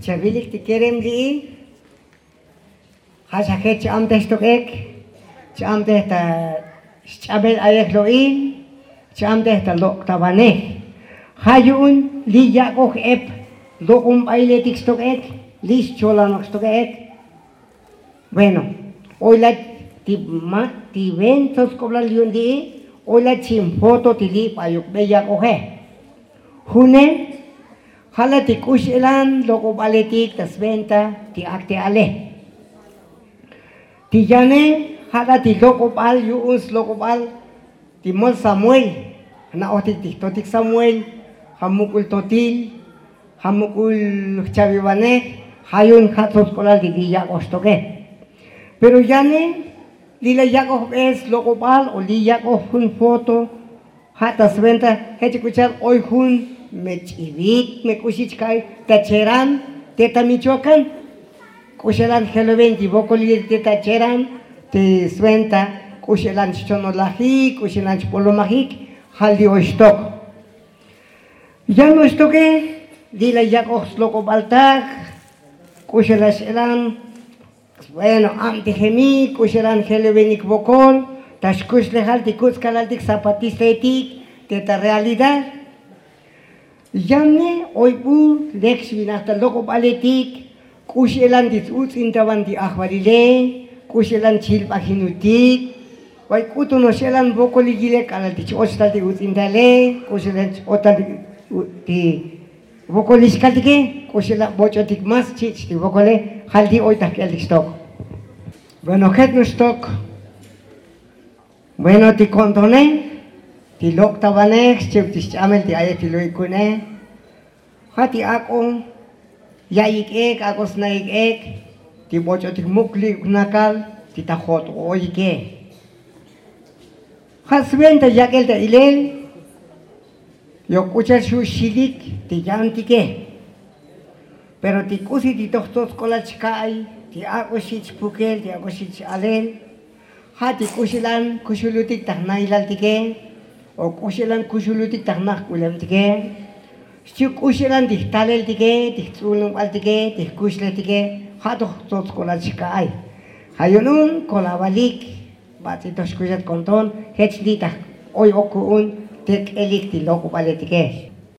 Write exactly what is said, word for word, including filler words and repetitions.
Chavilik ti kerem li'i. Ja' xa jech cha'amtej xtok'ek, cha'amtej ta xch'abel ayej lo'il, cha'amtej ta lok' ta vanej. Ja' yu'un li yak'oj ep lok'onbailetik xtok'ek, li xcholanok xtok'ek. Bueno, oy la ti ma ti ven tsots k'oblal yu'un li'i. Oy la chin foto ti li' bayukbe yak'oje. June, ja' la ti k'u x'elan lok'obaletik ta sventa ti akte'ale. Ti yane, ja' la ti lok'obal yu'un slok'obal ti mol samuel. Jna'ojtik ti jtotik samuel, ja' muk'ul totil, ja' muk'ul jchavivanej. Ja' yu'un ja' tsots k'olal ti li' yak'oj xtoke. Pero yane, li' la yak'ojbe slok'obal o li' yak'oj jun foto. Ja' ta sventa jech k'u cha'al oy jun me ch'ivit me k'uxi chka'i ta cheran te ta michoakan. K'u xelan jeloven ti vokolil te ta cheran te sventa. K'u xelan chchonolajik, k'u xelan chbolomajik. Ja' li' oy xtok. Yan oy xtoke, li' la yak'oj slok'obaltak. K'u xelan x'elan. Bueno, abtijemik k'u xelan jelovenik vokol ta xkuxlejal ti kuts' kalaltik zapatistaetik te ta realidad. Yane oy bu lek xvinaj ta lok'obaletik. K'u x'elan ti tsuts'intavan ti ajvalile, k'u x'elan chilbajinutik. Oy k'utu no'ox x'elan vokolil yilel k'alal ti ch-och tal ti uts'intale, k'u x'elan ch-och tal ti vokolil xkaltike. K'u x'elan boch'otik mas chich' ti vokole. Ja' li' oy ta jk'eltik xtok. Bueno, jet no'ox xtok. Bueno, ti ko'ntone ti lok' ta vanej xchiv ti xch'amel ti ayej ti lo'ik ku'une. Ja' ti ak'o ya'ik ek, ak'o sna'ik ek ti boch'otik muk' li' jnakal ti ta jo't oyike. Ja' sventa yak'el ta ilel. Yok k'u cha'al xu' xilik ti yantike. Pero ti k'usi ti toj tsots k'olal chka'ay ti ak'o xich' pukel, ti ak'o xich' alel. Ja' ti k'u xelan kuxulutik ta jnailaltike, o k'u xelan kuxulutik ta jnaj k'ulemtike. Xchiv k'u xelan ti jtaleltike, ti jts'ununbaltike, ti jkuxlejtike. Ja' toj tsots k'olal chka'ay. Ja' yu'un kolavalik. Bats'i toj xkuxat ko'nton jech li' ta oy ok ku'un te k'elik ti lok'obaletike.